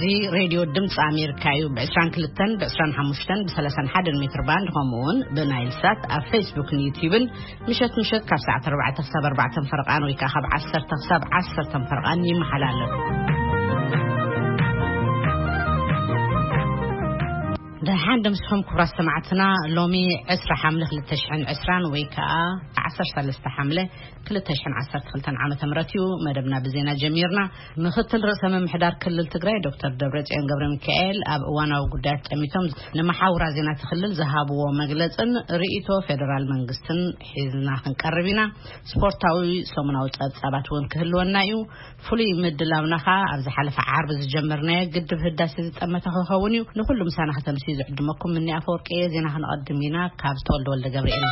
እዚ ሬድዮ ድምፂ ኣሜሪካ እዩ። ብ22፣ ብ25፣ ብ31 ሜትር ባንድ፣ ከምኡ እውን ብናይል ሳት ኣብ ፌስቡክን ዩቲዩብን ምሸት ምሸት ካብ ሰዓት 4 ክሳብ 4 ፈረቓን ወይ ከዓ ካብ 10 ክሳብ 10 ፈረቓን ይመሓላለፍ። ደሓን ደምስኹም ክቡራት ሰማዕትና። ሎሚ 20 ሓምለ 2020 ወይ ከዓ 13 ሓምለ 2012 ዓመተ ምህረት እዩ። መደብና ብዜና ጀሚርና። ምክትል ርእሰ ምምሕዳር ክልል ትግራይ ዶክተር ደብረጽዮን ገብረ ሚካኤል ኣብ እዋናዊ ጉዳያት ጠሚቶም ንመሓውራ ዜና እቲ ክልል ዝሃብዎ መግለጽን ርእይቶ ፌደራል መንግስትን ሒዝና ክንቀርብ ኢና። ስፖርታዊ ሰሙናዊ ጸብጻባት እውን ክህልወና እዩ። ፍሉይ ምድላውና ኸኣ ኣብ ዝሓለፈ ዓርቢ ዝጀመርናዮ ግድብ ህዳሴ ዝጠመተ ክኸውን እዩ። ንኹሉ ምሳና ከተምስዩ ዝዕድመኩም ምኒ ኣፈወርቂ እየ። ዜና ክንቐድም ኢና ካብ ተወልደ ወልደ ገብርኤል።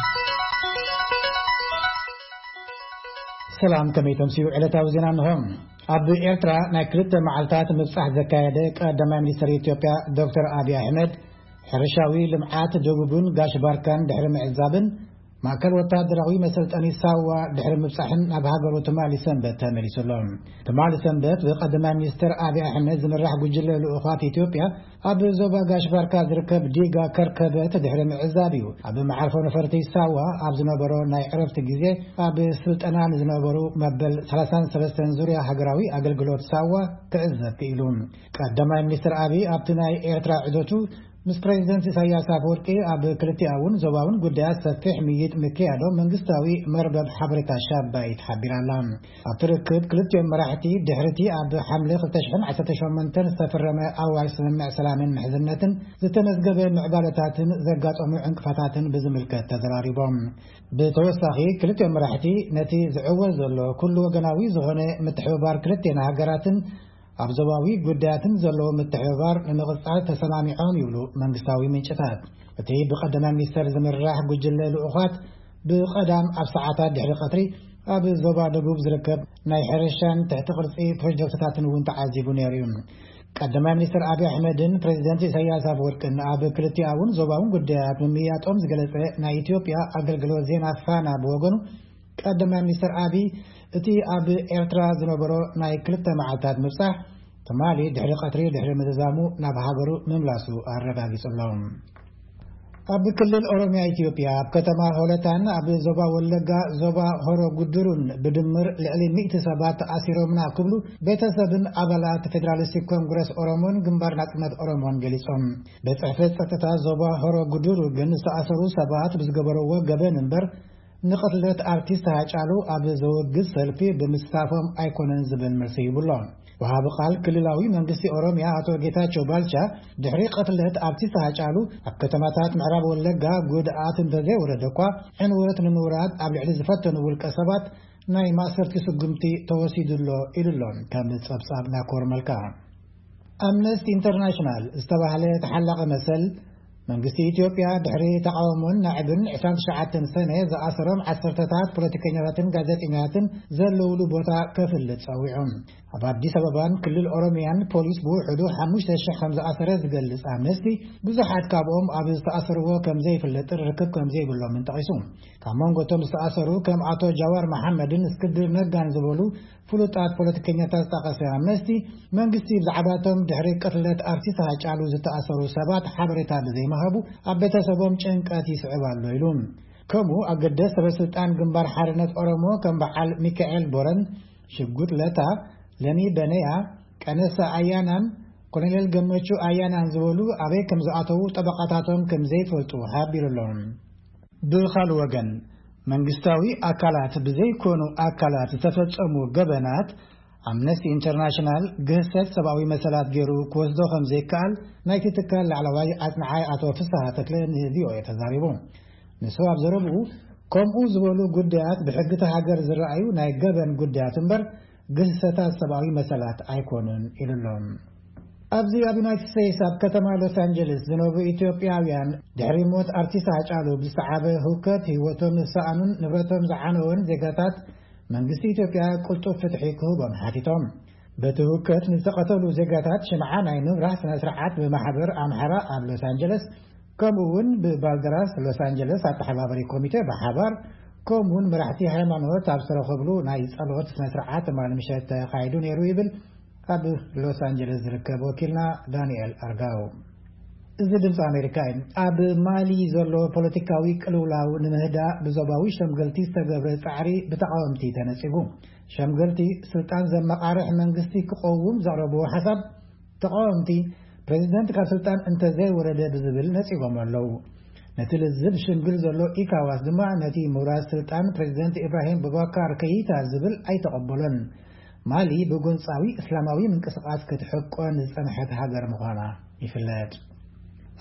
ሰላም፣ ከመይ ተምስዩ? ዕለታዊ ዜና እንሆ። ኣብ ኤርትራ ናይ ክልተ መዓልታት ምብጻሕ ዘካየደ ቀዳማይ ሚኒስትር ኢትዮጵያ ዶክተር ኣብይ ኣሕመድ፣ ሕርሻዊ ልምዓት ደቡብን ጋሽ ባርካን ድሕሪ ምዕዛብን ማእከል ወታደራዊ መሰልጠኒ ሳዋ ድሕሪ ምብጻሕን ናብ ሃገሩ ትማሊ ሰንበት ተመሊሱ ኣሎ። ትማሊ ሰንበት ብቀዳማይ ሚኒስትር ኣብይ ኣሕመድ ዝምራሕ ጉጅለ ልኡኻት ኢትዮጵያ ኣብ ዞባ ጋሽ ባርካ ዝርከብ ዲጋ ከርከበት ድሕሪ ምዕዛብ እዩ ኣብ መዓርፎ ነፈርቲ ሳዋ ኣብ ዝነበሮ ናይ ዕረፍቲ ግዜ ኣብ ስልጠና ንዝነበሩ መበል 33 ዙርያ ሃገራዊ ኣገልግሎት ሳዋ ክዕዘብ ክኢሉ። ቀዳማይ ሚኒስትር ኣብይ ኣብቲ ናይ ኤርትራ ዑደቱ ምስ ፕሬዚደንት ኢሳያስ ኣፈወርቂ ኣብ ክልቲኣውን ዞባውን ጉዳያት ሰፊሕ ምይይጥ ምክያዶም መንግስታዊ መርበብ ሓበሬታ ሻባይት ሓቢራ ኣላ። ኣብቲ ርክብ ክልቲኦም መራሕቲ ድሕሪቲ ኣብ ሓምለ 2018 ዝተፈረመ ኣዋጅ ስምምዕ ሰላምን ምሕዝነትን ዝተመዝገበ ምዕባለታትን ዘጋጠሙ ዕንቅፋታትን ብዝምልከት ተዘራሪቦም። ብተወሳኺ ክልቲኦም መራሕቲ ነቲ ዝዕወት ዘሎ ኩሉ ወገናዊ ዝኾነ ምትሕብባር ክልቴና ሃገራትን ኣብ ዞባዊ ጉዳያትን ዘለዎ ምትሕብባር ንምቕጻል ተሰማሚዖም ይብሉ መንግስታዊ ምንጭታት። እቲ ብቀዳማይ ሚኒስተር ዝምራሕ ጉጅለ ልኡኻት ብቐዳም ኣብ ሰዓታት ድሕሪ ቀትሪ ኣብ ዞባ ደቡብ ዝርከብ ናይ ሕርሻን ትሕቲ ቅርጺ ፕሮጀክትታትን እውን ተዓዚቡ ነይሩ እዩ። ቀዳማይ ሚኒስትር ኣብይ ኣሕመድን ፕሬዚደንት ኢሳያስ ኣፈወርቅን ኣብ ክልቲኣውን ዞባውን ጉዳያት ምምያጦም ዝገለጸ ናይ ኢትዮጵያ ኣገልግሎት ዜና ፋና ብወገኑ፣ ቀዳማይ ሚኒስትር ኣብይ እቲ ኣብ ኤርትራ ዝነበሮ ናይ ክልተ መዓልታት ምብጻሕ ትማሊ ድሕሪ ቀትሪ ድሕሪ ምዝዛሙ ናብ ሃገሩ ምምላሱ ኣረጋጊጹ ኣሎ። ኣብ ክልል ኦሮሚያ ኢትዮጵያ ኣብ ከተማ ሆለታን ኣብ ዞባ ወለጋ ዞባ ሆሮ ጉድሩን ብድምር ልዕሊ ሚእቲ ሰባት ተኣሲሮምና ክብሉ ቤተሰብን ኣባላት ፌደራሊስቲክ ኮንግረስ ኦሮሞን ግንባር ናጽነት ኦሮሞን ገሊጾም። ቤት ጽሕፈት ጸጥታ ዞባ ሆሮ ጉድሩ ግን ዝተኣሰሩ ሰባት ብዝገበረዎ ገበን እምበር ንቕትለት ኣርቲስት ሃጫሉ ኣብ ዘወግዝ ሰልፊ ብምስታፎም ኣይኮነን ዝብል መልሲ ሂቡ ኣሎ። ወሃቢ ቃል ክልላዊ መንግስቲ ኦሮሚያ ኣቶ ጌታቸው ባልቻ ድሕሪ ቅትለት ኣርቲስት ሃጫሉ ኣብ ከተማታት ምዕራብ ወለጋ ጉድኣት እንተዘይወረደ እኳ ዕንወት ንምውራድ ኣብ ልዕሊ ዝፈተኑ ውልቀ ሰባት ናይ ማእሰርቲ ስጉምቲ ተወሲዱ ኣሎ ኢሉ ኣሎ። ከም ጸብጻብ ናኮር መልካ። ኣምነስቲ ኢንተርናሽናል ዝተባህለ ተሓላቒ መሰል መንግስቲ ኢትዮጵያ ድሕሪ ተቃውሞን ናዕብን 29 ሰነ ዝኣሰሮም ዓሰርተታት ፖለቲከኛታትን ጋዜጠኛታትን ዘለውሉ ቦታ ከፍልጥ ጸዊዑ። ኣብ ኣዲስ ኣበባን ክልል ኦሮሚያን ፖሊስ ብውሕዱ 5,000 ከም ዝኣሰረ ዝገልጽ ኣምነስቲ፣ ብዙሓት ካብኦም ኣብ ዝተኣሰርዎ ከም ዘይፍለጥን ርክብ ከም ዘይብሎምን ጠቒሱ። ካብ መንጎ እቶም ዝተኣሰሩ ከም ኣቶ ጃዋር መሓመድን እስክንድር ነጋን ዝበሉ ፍሉጣት ፖለቲከኛታት ዝጠቐሰ ኣምነስቲ፣ መንግስቲ ብዛዕባቶም ድሕሪ ቅትለት ኣርቲስት ሃጫሉ ዝተኣሰሩ ሰባት ሓበሬታ ብዘይምሃቡ ኣብ ቤተሰቦም ጭንቀት ይስዕብ ኣሎ ኢሉ። ከምኡ ኣገደስ ሰበስልጣን ግንባር ሓርነት ኦሮሞ ከም በዓል ሚካኤል ቦረን፣ ሽጉጥ ለታ፣ ለሚ በነያ፣ ቀነሳ ኣያናን ኮሎኔል ገመቹ ኣያናን ዝበሉ ኣበይ ከም ዝኣተዉ ጠበቃታቶም ከም ዘይፈልጡ ሓቢሩ ኣሎ። ብኻልእ ወገን መንግስታዊ ኣካላት ብዘይኮኑ ኣካላት ዝተፈጸሙ ገበናት ኣምነስቲ ኢንተርናሽናል ግህሰት ሰብኣዊ መሰላት ገይሩ ክወስዶ ከም ዘይከኣል ናይቲ ትካል ላዕለዋይ ኣጽንዓይ ኣቶ ፍስሃ ተክለ ንቪኦኤ ተዛሪቡ። ንሱ ኣብ ዘረብኡ፣ ከምኡ ዝበሉ ጉዳያት ብሕጊ እታ ሃገር ዝረኣዩ ናይ ገበን ጉዳያት እምበር ግህሰታት ሰብኣዊ መሰላት ኣይኮኑን ኢሉ ኣሎ። ኣብዚ ኣብ ዩናይትድ ስቴትስ ኣብ ከተማ ሎስ ኣንጀለስ ዝነብሩ ኢትዮጵያውያን ድሕሪ ሞት ኣርቲስት ሃጫሉ ብዝተዓበ ህውከት ህይወቶም ዝሰኣኑን ንብረቶም ዝዓነወን ዜጋታት መንግስቲ ኢትዮጵያ ቅልጡፍ ፍትሒ ክህቦም ሓቲቶም። በቲ ህውከት ንዝተቐተሉ ዜጋታት ሽምዓ ናይ ምብራህ ስነ ስርዓት ብማሕበር ኣምሓራ ኣብ ሎስ ኣንጀለስ ከምኡ እውን ብባልደራስ ሎስ ኣንጀለስ ኣተሓባባሪ ኮሚቴ ብሓባር ከምኡ እውን መራሕቲ ሃይማኖት ኣብ ዝተረኸብሉ ናይ ጸሎት ስነ ስርዓት ትማሊ ምሸት ተኻይዱ ነይሩ ይብል ካብ ሎስ ኣንጀለስ ዝርከብ ወኪልና ዳንኤል ኣርጋው። እዚ ድምፂ ኣሜሪካ እዩ። ኣብ ማሊ ዘሎ ፖለቲካዊ ቅልውላው ንምህዳእ ብዞባዊ ሸምገልቲ ዝተገብረ ፃዕሪ ብተቃወምቲ ተነፂጉ። ሸምገልቲ ስልጣን ዘመቃርሕ መንግስቲ ክቀውም ዘቕረብዎ ሓሳብ ተቃወምቲ ፕሬዚደንት ካብ ስልጣን እንተዘይወረደ ብዝብል ነፂጎም ኣለዉ። ነቲ ልዝብ ሽምግል ዘሎ ኢካዋስ ድማ ነቲ ምውራድ ስልጣን ፕሬዚደንት ኢብራሂም ቡባካር ከይታ ዝብል ኣይተቐበሎን። ማሊ ብጎንጻዊ እስላማዊ ምንቅስቃስ ክትሕቆን ዝጸንሐት ሃገር ምዃና ይፍለጥ።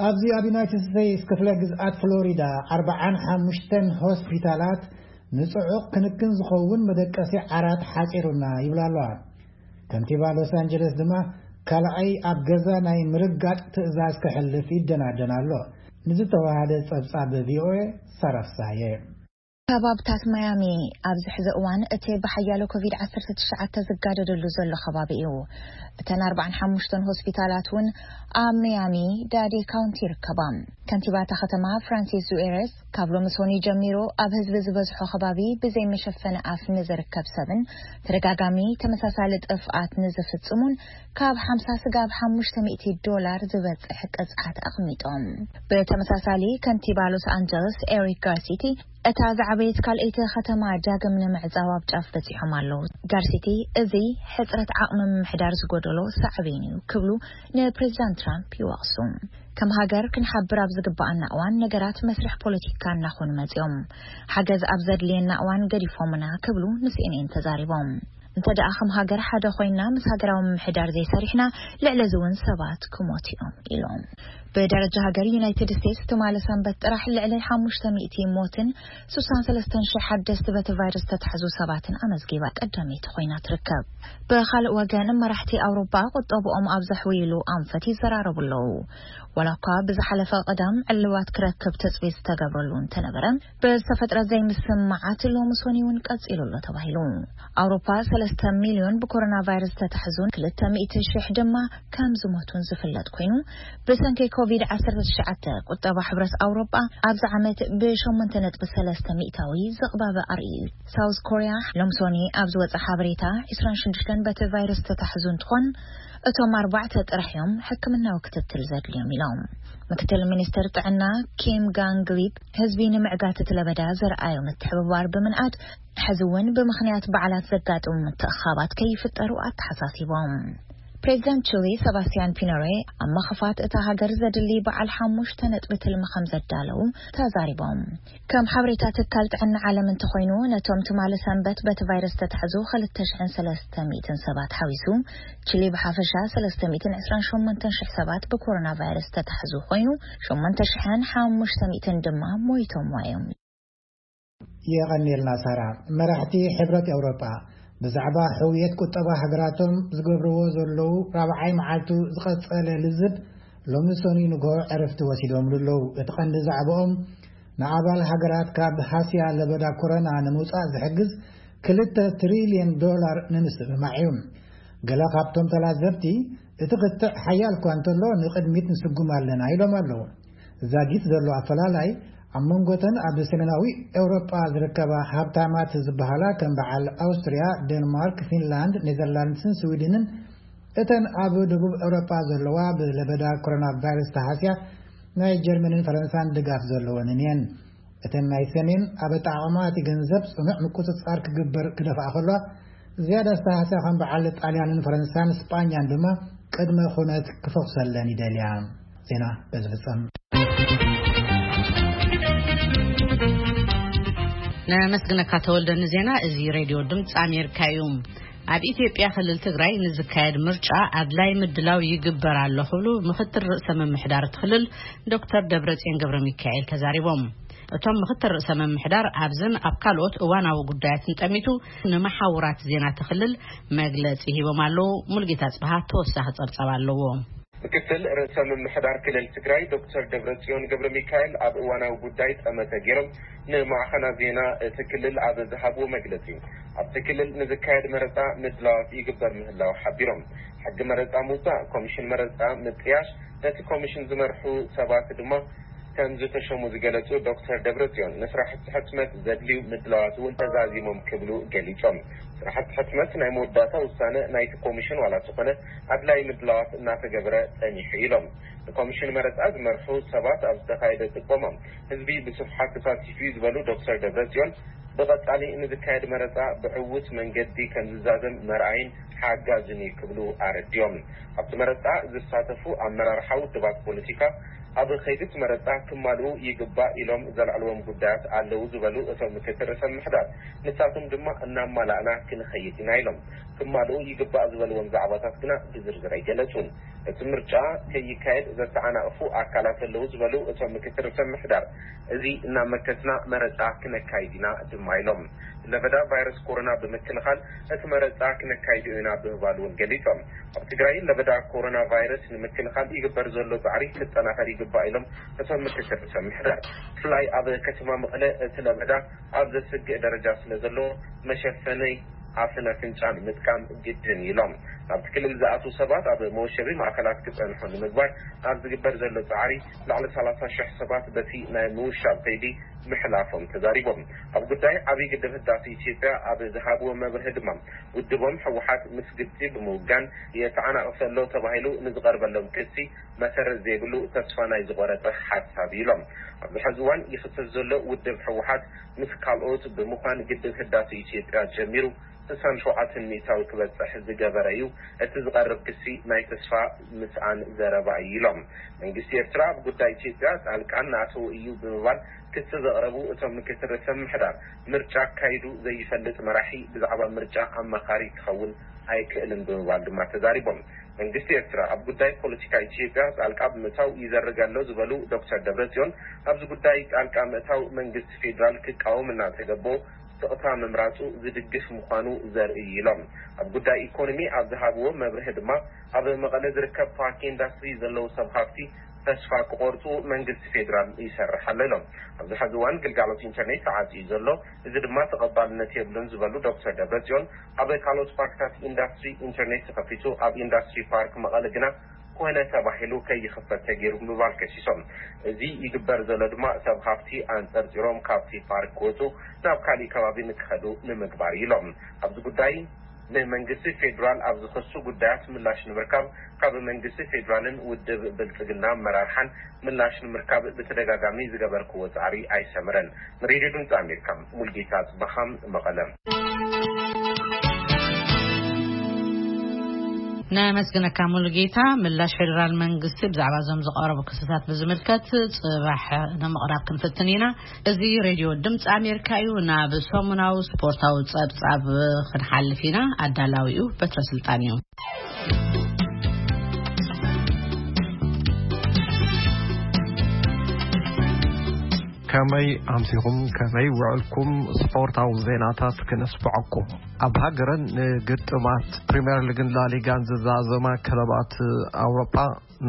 ኣብዚ ኣብ ዩናይትድ ስቴትስ ክፍለ ግዝኣት ፍሎሪዳ ኣርባዓን ሓሙሽተን ሆስፒታላት ንጽዑቕ ክንክን ዝኸውን መደቀሲ ዓራት ሓጺሩና ይብላ ኣለዋ። ከንቲባ ሎስ ኣንጀለስ ድማ ካልኣይ ኣብ ገዛ ናይ ምርጋጥ ትእዛዝ ከሕልፍ ይደናደን ኣሎ። ንዝተዋሃደ ጸብጻብ ቪኦኤ ሳራ ፍሳሃየ። ከባብታት ማያሚ ኣብዚ ሕዚ እዋን እቲ ብሓያሎ ኮቪድ ዓሰርተ ትሽዓተ ዝጋደደሉ ዘሎ ከባቢ እዩ። እተን ኣርባዓን ሓሙሽተን ሆስፒታላት እውን ኣብ ሚያሚ ዳዴ ካውንቲ ይርከባ። ከንቲባ እታ ከተማ ፍራንሲስ ዙኤረስ ካብ ሎሚ ሰኑይ ጀሚሩ ኣብ ህዝቢ ዝበዝሖ ከባቢ ብዘይ መሸፈኒ ኣፍ ንዝርከብ ሰብን ተደጋጋሚ ተመሳሳሊ ጥፍኣት ንዝፍጽሙን ካብ ሓምሳ ስጋብ ሓሙሽተ ሚእቲ ዶላር ዝበጽሕ ቅጽዓት ኣቕሚጦም። ብተመሳሳሊ ከንቲባ ሎስ ኣንጀለስ ኤሪክ ጋርሲቲ እታ ዝዓበየት ካልኣይቲ ከተማ ዳግም ንምዕጻው ኣብ ጫፍ በጺሖም ኣለዉ። ጋርሲቲ እዚ ሕጽረት ዓቕሚ ምምሕዳር ዝጎደሎ ሳዕቤን እዩ ክብሉ ንፕሬዚዳንት ትራምፕ ይወቕሱ። ከም ሃገር ክንሓብር ኣብ ዝግባኣና እዋን ነገራት መስርሕ ፖለቲካ እናኾኑ መጺኦም። ሓገዝ ኣብ ዘድልየና እዋን ገዲፎምና ክብሉ ንሲኤንኤን ተዛሪቦም። እንተ ደኣ ከም ሃገር ሓደ ኮይና ምስ ሃገራዊ ምምሕዳር ዘይሰሪሕና ልዕሊ እዚ እውን ሰባት ክሞት እዮም ኢሎም። ብደረጃ ሃገር ዩናይትድ ስቴትስ ትማሊ ሰንበት ጥራሕ ልዕሊ ሓሙሽተ ሚእቲ ሞትን ስሳን ሰለስተን ሽሕ ሓደስቲ በቲ ቫይረስ ዝተታሕዙ ሰባትን ኣመዝጊባ ቀዳመይቲ ኮይና ትርከብ። ብኻልእ ወገን መራሕቲ ኣውሮፓ ቁጠብኦም ኣብ ዘሕውይሉ ኣንፈት ይዘራረቡ ኣለዉ። ዋላ እኳ ብዝሓለፈ ቀዳም ዕልባት ክረክብ ትጽቢት ዝተገብረሉ እንተነበረ ብዝተፈጥረ ዘይምስምማዓት ሎሚ ሰኑይ እውን ቀጺሉ ኣሎ ተባሂሉ። ኣውሮፓ ሰለስተ ሚልዮን ብኮሮና ቫይረስ ዝተታሕዙን ክልተ ሚእቲ ሽሕ ድማ ከም ዝሞቱን ዝፍለጥ ኮይኑ ብሰንኪ ኮቪድ ዓሰርተ ትሽዓተ ቁጠባ ሕብረት ኣውሮፓ ኣብዚ ዓመት ብሸሞንተ ነጥቢ ሰለስተ ሚእታዊ ዝቕባበ ኣርእዩ። ሳውዝ ኮርያ ሎምሶኒ ኣብ ዝወፀ ሓበሬታ ዕስራን ሽዱሽተን በቲ ቫይረስ ዝተታሕዙ እንትኾን እቶም ኣርባዕተ ጥራሕ እዮም ሕክምናዊ ክትትል ዘድልዮም ኢሎም። ምክትል ሚኒስትር ጥዕና ኪም ጋንግሊፕ ህዝቢ ንምዕጋት እቲ ለበዳ ዘርኣዮ ምትሕብባር ብምንኣድ ሕዚ እውን ብምኽንያት በዓላት ዘጋጥሙ ምትእኻባት ከይፍጠሩ ኣተሓሳሲቦም። ፕሬዚዳንት ቺሊ ሰባስቲያን ፒኖሬ ኣብ መኸፋት እታ ሃገር ዘድሊ በዓል ሓሙሽተ ነጥቢ ትልሚ ከም ዘዳለዉ ተዛሪቦም። ከም ሓበሬታ ትካል ጥዕና ዓለም እንተኾይኑ ነቶም ትማሊ ሰንበት በቲ ቫይረስ ዝተታሕዙ ክልተ ሽሕን ሰለስተ ሚእትን ሰባት ሓዊሱ ቺሊ ብሓፈሻ ሰለስተ ሚእትን ዕስራን ሸሞንተን ሽሕ ሰባት ብኮሮና ቫይረስ ዝተታሕዙ ኮይኑ ሸሞንተ ሽሕን ሓሙሽተ ሚእትን ድማ ሞይቶም እዮም። የቐንየልና ሳራ። መራሕቲ ሕብረት ኤውሮጳ ብዛዕባ ሕውየት ቁጠባ ሃገራቶም ዝገብርዎ ዘለዉ ራብዓይ መዓልቱ ዝቐጸለ ልዝብ ሎሚ ሰኑይ ንግሆ ዕረፍቲ ወሲዶምሉ ኣለዉ። እቲ ቀንዲ ዛዕባኦም ንኣባል ሃገራት ካብ ሃስያ ለበዳ ኮሮና ንምውጻእ ዝሕግዝ ክልተ ትሪልዮን ዶላር ንምስምማዕ እዩ። ገለ ካብቶም ተላዘብቲ እቲ ክትዕ ሓያል እኳ እንተሎ ንቕድሚት ንስጉም ኣለና ኢሎም ኣለዉ። ዛጊት ዘሎ ኣፈላላይ ኣብ መንጎተን ኣብ ሰሜናዊ ኤውሮጳ ዝርከባ ሃብታማት ዝበሃላ ከም በዓል ኣውስትርያ፣ ዴንማርክ፣ ፊንላንድ፣ ኔዘርላንድስን ስዊድንን እተን ኣብ ደቡብ ኤውሮጳ ዘለዋ ብለበዳ ኮሮና ቫይረስ ተሃስያ ናይ ጀርመንን ፈረንሳን ድጋፍ ዘለወንን እየን። እተን ናይ ሰሜን ኣብ ኣጠቓቕማ እቲ ገንዘብ ጽኑዕ ምቁጽጻር ክግበር ክደፍኣ ከሎ ዝያዳ ዝተሃስያ ከም በዓል ጣልያንን ፈረንሳን ስጳኛን ድማ ቅድመ ኩነት ክፈኹሰለን ይደልያ። ዜና በዚ ፍጸም። ነመስግነካ ተወልደ ንዜና። እዚ ሬድዮ ድምፂ ኣሜሪካ እዩ። ኣብ ኢትዮጵያ ክልል ትግራይ ንዝካየድ ምርጫ ኣድላይ ምድላው ይግበር ኣሎ ክብሉ ምክትል ርእሰ ምምሕዳር እቲ ክልል ዶክተር ደብረጽዮን ገብረ ሚካኤል ተዛሪቦም። እቶም ምክትል ርእሰ ምምሕዳር ኣብዝን ኣብ ካልኦት እዋናዊ ጉዳያትን ጠሚቱ ንመሓውራት ዜና እቲ ክልል መግለፂ ሂቦም ኣለዉ። ሙልጌታ ጽብሃ ተወሳኺ ጸብጻብ ኣለዎ። ምክትል ርእሰ ምምሕዳር ክልል ትግራይ ዶክተር ደብረጽዮን ገብረ ሚካኤል ኣብ እዋናዊ ጉዳይ ጠመተ ገይሮም ንማዕኸና ዜና እቲ ክልል ኣብ ዝሃብዎ መግለፂ፣ ኣብቲ ክልል ንዝካየድ መረፃ ምድላዋት ይግበር ምህላው ሓቢሮም። ሕጊ መረፃ ምውፃእ፣ ኮሚሽን መረፃ ምጥያሽ፣ ነቲ ኮሚሽን ዝመርሑ ሰባት ድማ ከም ዝተሸሙ ዝገለጹ ዶክተር ደብረጽዮን፣ ንስራሕቲ ሕትመት ዘድልዩ ምድላዋት እውን ተዛዚሞም ክብሉ ገሊጾም። ስራሕቲ ሕትመት ናይ መወዳእታ ውሳነ ናይቲ ኮሚሽን ዋላ ዝኾነ፣ ኣድላይ ምድላዋት እናተገበረ ጸኒሑ ኢሎም። ንኮሚሽን መረጻ ዝመርሑ ሰባት ኣብ ዝተኻየደ ጥቆሞም፣ ህዝቢ ብስፍሓት ተሳቲፉ እዩ ዝበሉ ዶክተር ደብረጽዮን፣ ብቐጻሊ ንዝካየድ መረጻ ብዕዉት መንገዲ ከም ዝዛዘም መርኣይን ሓጋዝን እዩ ክብሉ ኣረዲኦም። ኣብቲ መረጻ ዝሳተፉ ኣመራርሓ ውድባት ፖለቲካ፣ ኣብ ከይዲ እቲ መረጻ ክማልኡ ይግባእ ኢሎም ዘልዕልዎም ጉዳያት ኣለዉ ዝበሉ እቶም ምክትል ርእሰ ምምሕዳር፣ ንሳቶም ድማ እናማላእና ክንኸይድ ኢና ኢሎም። ክማልኡ ይግባእ ዝበልዎም ዛዕባታት ግና ብዝርዝር ኣይገለጹን። እቲ ምርጫ ከይካየድ ዘተዓናቕፉ ኣካላት ኣለዉ ዝበሉ እቶም ምክትል ርእሰ ምምሕዳር፣ እዚ እናመከትና መረጻ ክነካይድ ኢና ድማ ኢሎም። ለበዳ ቫይረስ ኮሮና ብምክልኻል እቲ መረጻ ክነካይዶ ኢና ብምባል እውን ገሊጾም። ኣብ ትግራይ ለበዳ ኮሮና ቫይረስ ንምክልኻል ይግበር ዘሎ ጻዕሪ ክጠናኸር ይግባእ ኢሎም እቶም ምክትል ርእሰ ምምሕዳር። ብፍላይ ኣብ ከተማ መቐለ እቲ ለበዳ ኣብ ዘስግእ ደረጃ ስለ ዘሎ፣ መሸፈኒ ኣፍን ኣፍንጫን ምጥቃም ግድን ኢሎም። ናብቲ ክልል ዝኣትዉ ሰባት ኣብ መወሸቢ ማእከላት ክጸንሑ ንምግባር ኣብ ዝግበር ዘሎ ጻዕሪ፣ ልዕሊ ሰላሳ ሽሕ ሰባት በቲ ናይ ምውሻብ ከይዲ ምሕላፎም ተዛሪቦም። ኣብ ጉዳይ ዓብዪ ግድብ ህዳሴ ኢትዮጵያ ኣብ ዝሃብዎ መብርሂ ድማ፣ ውድቦም ህወሓት ምስ ግብጺ ብምውጋን የተዓናቕፍ ዘሎ ተባሂሉ ንዝቐርበሎም ክሲ መሰረት ዘይብሉ፣ ተስፋ ናይ ዝቖረጸ ሓሳብ ኢሎም። ኣብዚ ሕዚ እዋን ይኽሰስ ዘሎ ውድብ ህወሓት ምስ ካልኦት ብምዃን ግድብ ህዳሴ ኢትዮጵያ ጀሚሩ ስሳን ሸውዓተን ሚእታዊ ክበጽሕ ዝገበረ እዩ። እቲ ዝቐርብ ክሲ ናይ ተስፋ ምስኣን ዘረባ እዩ ኢሎም። መንግስቲ ኤርትራ ኣብ ጉዳይ ኢትዮጵያ ጣልቃ እናኣተወ እዩ ብምባል ክሲ ዘቕረቡ እቶም ምክትል ርእሰ ምምሕዳር፣ ምርጫ ኣካይዱ ዘይፈልጥ መራሒ ብዛዕባ ምርጫ ኣማኻሪ ክኸውን ኣይክእልን ብምባል ድማ ተዛሪቦም። መንግስቲ ኤርትራ ኣብ ጉዳይ ፖለቲካ ኢትዮጵያ ጣልቃ ብምእታው ይዘርግ ኣሎ ዝበሉ ዶክተር ደብረጽዮን፣ ኣብዚ ጉዳይ ጣልቃ ምእታው መንግስቲ ፌዴራል ክቃወም እናተገበኦ ስቕታ ምምራጹ ዝድግፍ ምዃኑ ዘርኢ እዩ ኢሎም። ኣብ ጉዳይ ኢኮኖሚ ኣብ ዝሃብዎ መብርሂ ድማ፣ ኣብ መቐለ ዝርከብ ፓርክ ኢንዳስትሪ ዘለዉ ሰብ ሃፍቲ ተስፋ ክቖርጹ መንግስቲ ፌዴራል ይሰርሕ ኣሎ ኢሎም። ኣብዚ ሕዚ እዋን ግልጋሎት ኢንተርኔት ተዓጽዩ ዘሎ፣ እዚ ድማ ተቐባልነት የብሉን ዝበሉ ዶክተር ደብረጽዮን፣ ኣብ ካልኦት ፓርክታት ኢንዳስትሪ ኢንተርኔት ተኸፊቱ፣ ኣብ ኢንዳስትሪ ፓርክ መቐለ ግና ኮነ ተባሂሉ ከይኽፈት ተገይሩ ብምባል ከሲሶም። እዚ ይግበር ዘሎ ድማ ሰብ ሃፍቲ ኣንጸርጺሮም ካብቲ ፓርክ ክወጹ፣ ናብ ካሊእ ከባቢ ንክኸዱ ንምግባር ኢሎም። ኣብዚ ጉዳይ ንመንግስቲ ፌዴራል ኣብ ዝኸሱ ጉዳያት ምላሽ ንምርካብ ካብ መንግስቲ ፌዴራልን ውድብ ብልጽግና ኣመራርሓን ምላሽ ንምርካብ ብተደጋጋሚ ዝገበርክዎ ጻዕሪ ኣይሰመረን። ንሬድዮ ድምፂ ኣሜሪካ፣ ሙልጌታ ጽባኻም፣ መቐለ። ነመስግነካ ሙሉጌታ። ምላሽ ፌዴራል መንግስቲ ብዛዕባ እዞም ዝቐረቡ ክስታት ብዝምልከት ጽባሕ ንምቕራብ ክንፍትን ኢና። እዚ ሬድዮ ድምፂ ኣሜሪካ እዩ። ናብ ሰሙናዊ ስፖርታዊ ጸብጻብ ክንሓልፍ ኢና። ኣዳላዊኡ በትረ ስልጣን እዩ። ከመይ ኣምሲኹም፣ ከመይ ውዕልኩም? ስፖርታዊ ዜናታት ክነስምዐኩም። ኣብ ሃገረን ንግጥማት ፕሪምየር ሊግን ላሊጋን ዝዛዘማ ክለባት ኣውሮጳ፣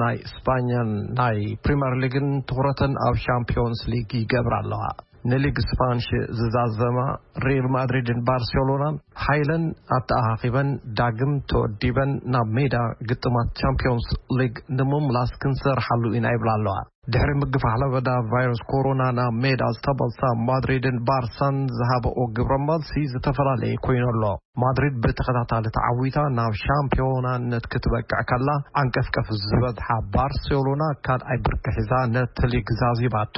ናይ ስፓኛን ናይ ፕሪምየር ሊግን ትኹረተን ኣብ ሻምፒዮንስ ሊግ ይገብራ ኣለዋ። ንሊግ ስፓንሽ ዝዛዘማ ሪል ማድሪድን ባርሴሎናን ሓይለን ኣተኣኻኺበን ዳግም ተወዲበን ናብ ሜዳ ግጥማት ቻምፒዮንስ ሊግ ንምምላስ ክንሰርሓሉ ኢና ይብላ ኣለዋ። ድሕሪ ምግፋሕ ለበዳ ቫይረስ ኮሮና ናብ ሜዳ ዝተመልሳ ማድሪድን ባርሳን ዝሃበኦ ግብረ መልሲ ዝተፈላለየ ኮይኑ ኣሎ። ማድሪድ ብተኸታታሊ ተዓዊታ ናብ ሻምፒዮናነት ክትበቅዕ ከላ፣ ዓንቀፍቀፍ ዝበዝሓ ባርሴሎና ካልኣይ ብርኪ ሒዛ ነቲ ሊግ ዛዚማቶ።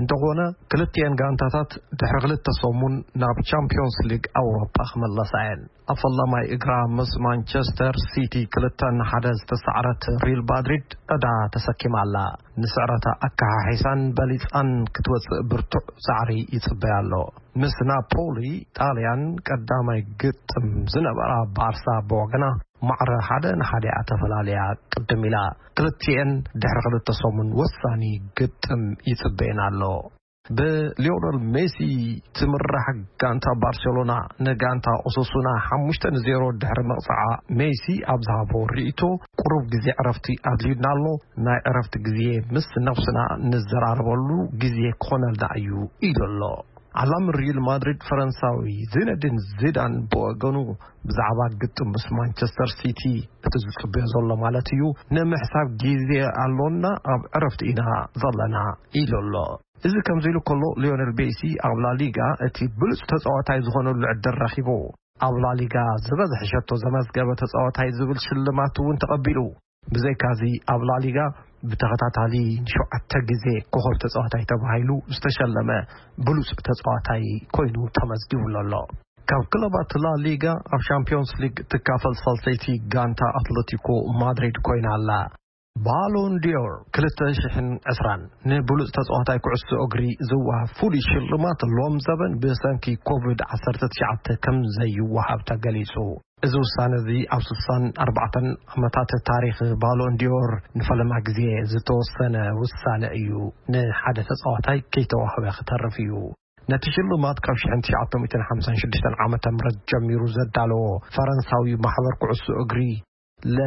እንተኾነ፣ ክልቲኤን ጋንታታት ድሕሪ ክልተ ሰሙን ናብ ቻምፒዮንስ ሊግ ኣውሮፓ ክምለሳ እየን። ኣብ ፈላማይ እግራ ምስ ማንቸስተር ሲቲ ክልተ ንሓደ ዝተሳዕረት ሪል ማድሪድ ዕዳ ተሰኪማ ኣላ። ንስዕረታ ኣከሓሒሳን በሊጻን ክትወጽእ ብርቱዕ ጻዕሪ ይጽበያ ኣሎ። ምስ ናፖሊ ጣልያን ቀዳማይ ግጥም ዝነበራ ባርሳ ብወገና ማዕረ ሓደ ንሓደ እያ ተፈላልያ ቅድም ኢላ። ክልቲኤን ድሕሪ ክልተ ሰሙን ወሳኒ ግጥም ይጽበየን ኣሎ። ብሊዮነል ሜሲ ትምራሕ ጋንታ ባርሴሎና ንጋንታ ኦሶሱና ሓሙሽተ ንዜሮ ድሕሪ መቕጽዓ፣ ሜሲ ኣብ ዝሃቦ ርእይቶ፣ ቁሩብ ግዜ ዕረፍቲ ኣድልዩና ኣሎ። ናይ ዕረፍቲ ግዜ ምስ ነብስና ንዘራረበሉ ግዜ ክኾነልና እዩ ኢሉ ኣሎ። ዓላም ሪል ማድሪድ ፈረንሳዊ ዚነዲን ዚዳን ብወገኑ፣ ብዛዕባ ግጥም ምስ ማንቸስተር ሲቲ፣ እቲ ዝጽበዮ ዘሎ ማለት እዩ፣ ንምሕሳብ ግዜ ኣሎና፣ ኣብ ዕረፍቲ ኢና ዘለና ኢሉ ኣሎ። እዚ ከምዚ ኢሉ ከሎ፣ ሊዮነል ሜሲ ኣብ ላሊጋ እቲ ብሉጽ ተጻዋታይ ዝኾነሉ ዕድል ረኺቡ። ኣብ ላሊጋ ዝበዝሐ ሸቶ ዘመዝገበ ተጻዋታይ ዝብል ሽልማት እውን ተቐቢሉ። ብዘይካዚ፣ ኣብ ላሊጋ ብተኸታታሊ ንሸውዓተ ግዜ ኮኸብ ተጻዋታይ ተባሂሉ ዝተሸለመ ብሉጽ ተጻዋታይ ኮይኑ ተመዝጊቡሉ ኣሎ። ካብ ክለባት ላሊጋ ኣብ ሻምፒዮንስ ሊግ ትካፈል ሳልሰይቲ ጋንታ ኣትለቲኮ ማድሪድ ኮይና ኣላ። ባሎን ዲዮር ክልተ ሽሕን ዕስራን ንብሉጽ ተጻዋታይ ኩዕሶ እግሪ ዝወሃብ ፍሉይ ሽልማት ሎም ዘበን ብሰንኪ ኮቪድ ዓሰርተ ትሽዓተ ከም ዘይወሃብ ተገሊጹ። እዚ ውሳነ እዚ ኣብ ስሳን ኣርባዕተን ዓመታት ታሪኽ ባሎን ዲዮር ንፈለማ ግዜ ዝተወሰነ ውሳነ እዩ። ንሓደ ተጻዋታይ ከይተዋህበ ክተርፍ እዩ። ነቲ ሽልማት ካብ ሽሕን ትሽዓተ ሚእትን ሓምሳን ሽዱሽተን ዓመተ ምህረት ጀሚሩ ዘዳለዎ ፈረንሳዊ ማሕበር ኩዕሶ እግሪ ለ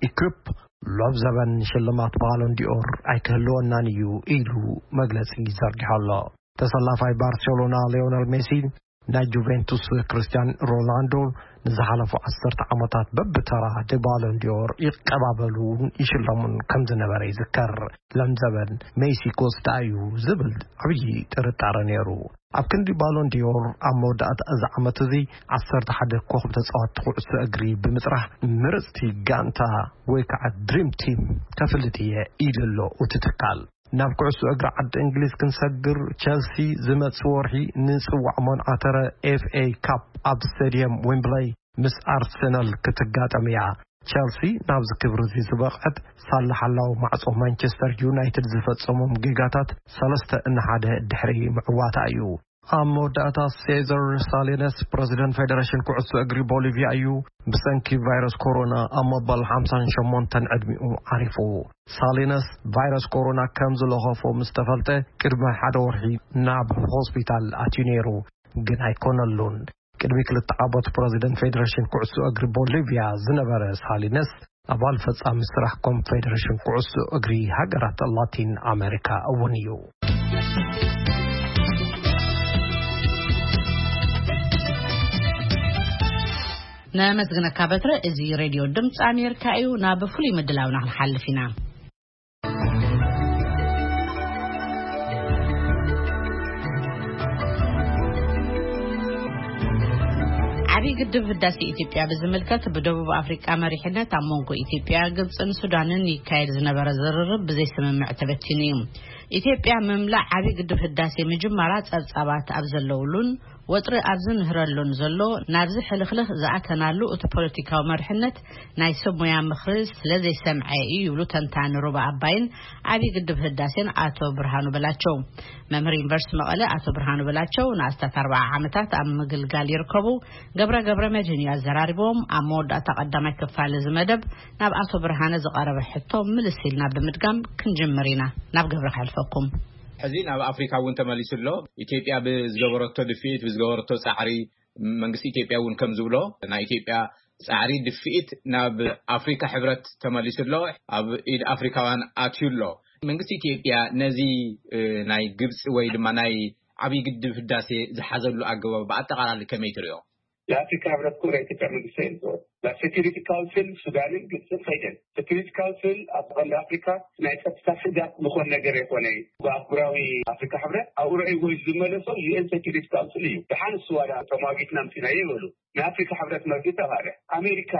ኢኩፕ ሎም ዘበን ሽልማት ባሎን ዲኦር ኣይክህልወናን እዩ ኢሉ መግለጺ ዘርጊሑ ኣሎ። ተሰላፋይ ባርሴሎና ሊዮነል ሜሲ፣ ናይ ጁቬንቱስ ክርስቲያን ሮናልዶ ንዝሓለፉ ዓሰርተ ዓመታት በብተራ ንባሎን ዲኦር ይቀባበሉን ይሽለሙን ከም ዝነበረ ይዝከር። ሎም ዘበን ሜሲ ክወስዳ እዩ ዝብል ዓብዪ ጥርጣረ ነይሩ። ኣብ ክንዲ ባሎን ዲዮር ኣብ መወዳእታ እዚ ዓመት እዚ ዓሰርተ ሓደ ኮኸብ ተጻወትቲ ኩዕሶ እግሪ ብምጽራሕ ምርጽቲ ጋንታ ወይ ከዓ ድሪም ቲም ከፍልጥ እየ ኢሉ ኣሎ እቲ ትካል። ናብ ኩዕሶ እግሪ ዓዲ እንግሊዝ ክንሰግር፣ ቸልሲ ዝመጽእ ወርሒ ንጽዋዕ መንዓተረ ኤፍ ኤ ካፕ ኣብ ስቴድየም ዌምብለይ ምስ ኣርሰናል ክትጋጠም እያ። ቸልሲ ናብዚ ክብሪ እዚ ዝበቕዐት ሳላ ሓላው ማዕጾ ማንቸስተር ዩናይትድ ዝፈጸሞም ጌጋታት ሰለስተ ንሓደ ድሕሪ ምዕዋታ እዩ። ኣብ መወዳእታ ሴዘር ሳሊነስ ፕረዚደንት ፌደሬሽን ኩዕሶ እግሪ ቦሊቪያ እዩ ብሰንኪ ቫይረስ ኮሮና ኣብ መበል ሓምሳን ሸሞንተን ዕድሚኡ ዓሪፉ። ሳሊነስ ቫይረስ ኮሮና ከም ዝለኸፎ ምስ ተፈልጠ ቅድሚ ሓደ ወርሒ ናብ ሆስፒታል ኣትዩ ነይሩ፣ ግን ኣይኮነሉን። ቅድሚ ክልተ ዓመት ፕረዚደንት ፌደሬሽን ኩዕሶ እግሪ ቦሊቪያ ዝነበረ ሳሊነስ ኣባል ፈጻሚ ስራሕ ኮንፌደሬሽን ኩዕሶ እግሪ ሃገራት ላቲን ኣሜሪካ እውን እዩ። ነመስግነካ በትረ። እዚ ሬድዮ ድምፂ ኣሜሪካ እዩ። ናብ ፍሉይ ምድላውና ክንሓልፍ ኢና። ዓብዪ ግድብ ህዳሴ ኢትዮጵያ ብዝምልከት ብደቡብ ኣፍሪቃ መሪሕነት ኣብ መንጎ ኢትዮጵያ፣ ግብፅን ሱዳንን ይካየድ ዝነበረ ዝርርብ ብዘይስምምዕ ተበቲኑ እዩ። ኢትዮጵያ ምምላእ ዓብዪ ግድብ ህዳሴ ምጅማራ ጸብጻባት ኣብ ዘለውሉን ወጥሪ ኣብ ዝንህረሉን ዘሎ፣ ናብዚ ሕልኽልኽ ዝኣተናሉ እቲ ፖለቲካዊ መሪሕነት ናይ ሰብ ሞያ ምኽሪ ስለ ዘይሰምዐ እዩ ይብሉ ተንታኒ ሩባ ኣባይን ዓብዪ ግድብ ህዳሴን ኣቶ ብርሃኑ በላቸው። መምህር ዩኒቨርሲቲ መቐለ ኣቶ ብርሃኑ በላቸው ንኣስታት ኣርባዓ ዓመታት ኣብ ምግልጋል ይርከቡ። ገብረ ገብረ መድህን እዩ ኣዘራሪቦም። ኣብ መወዳእታ ቀዳማይ ክፋል እዚ መደብ ናብ ኣቶ ብርሃነ ዝቐረበ ሕቶ ምልስ ኢልና ብምድጋም ክንጅምር ኢና። ናብ ገብረ ከሕልፈኩም። ሕዚ ናብ ኣፍሪካ እውን ተመሊሱ ኣሎ። ኢትዮጵያ ብዝገበረቶ ድፍኢት፣ ብዝገበረቶ ጻዕሪ፣ መንግስቲ ኢትዮጵያ እውን ከም ዝብሎ፣ ናይ ኢትዮጵያ ጻዕሪ ድፍኢት ናብ ኣፍሪካ ሕብረት ተመሊሱ ኣሎ፣ ኣብ ኢድ ኣፍሪካውያን ኣትዩ ኣሎ። መንግስቲ ኢትዮጵያ ነዚ፣ እ፣ ናይ ግብፂ ወይ ድማ ናይ ዓብዪ ግድብ ህዳሴ ዝሓዘሉ ኣገባብ ብኣጠቓላሊ ከመይ ትሪኦ? ለአፍሪካ ህብረት እኮ ለኢትዮጵያ መንግስት ኣይልፅኦን። ናብ ሴኪሪቲ ካውንስል ሱዳንን ግብፅን ከይደን። ሴኪሪቲ ካውንስል ኣብ ቀንዲ ኣፍሪካ ናይ ጸጥታ ስጋት ዝኾን ነገር የኮነ። ብኣህጉራዊ ኣፍሪካ ህብረት ኣብ ርዕይ ወይ ዝመለሶ ዩኤን ሴኪሪቲ ካውንስል እዩ። ደሓን እሱ ዋላ ተማጊትና ምፂናዮ ይበሉ። ንኣፍሪካ ህብረት መርጊ ተባለ። ኣሜሪካ፣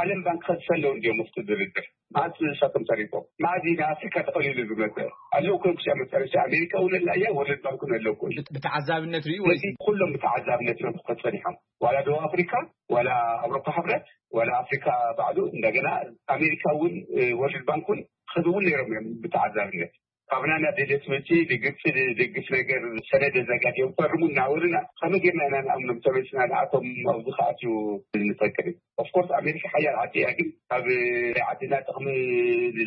ዓለም ባንክ ከድሰ ኣለዉ እንዲዮም ውስጥ ድርድር። መዓዝ ንሳቶም ተሪፎም? መዓዝ እዩ ንኣፍሪካ ተቐሊሉ ዝመፀ? ኣለዉ እኮ ክሻ መጨረሻ ኣሜሪካ እውን ኣላ እያ፣ ወርልድ ባንክ እውን ኣለዉ እኮ። ብት-፣ ብተዓዛብነት ርዩ ወይ? ስለዚ ኩሎም ብተዓዛብነት እዮም ክኾኑ ጸኒሖም። ዋላ ደቡብ ኣፍሪካ፣ ዋላ ኣውሮፓ ህብረት፣ ዋላ ኣፍሪካ ባዕሉ፣ እንደገና ኣሜሪካ እውን፣ እ፣ ወርልድ ባንክ እውን ክኸዱ እውን ነይሮም እዮም ብተዓዛብነት። ካባና ናብ ደደት መፂ ንግብፂ ዝድግፍ ነገር ሰነድ ኣዘጋጅዮም ፈርሙ እናበሉና፣ ከመይ ጌርና ኢና ንኣምኖም? ተመሊስና ንኣቶም ኣብዚ ክኣትዩ ንፈቅድ? ኦፍኮርስ ኣሜሪካ ሓያል ዓዲ እያ፣ ግን ካብ ናይ ዓድና ጥቕሚ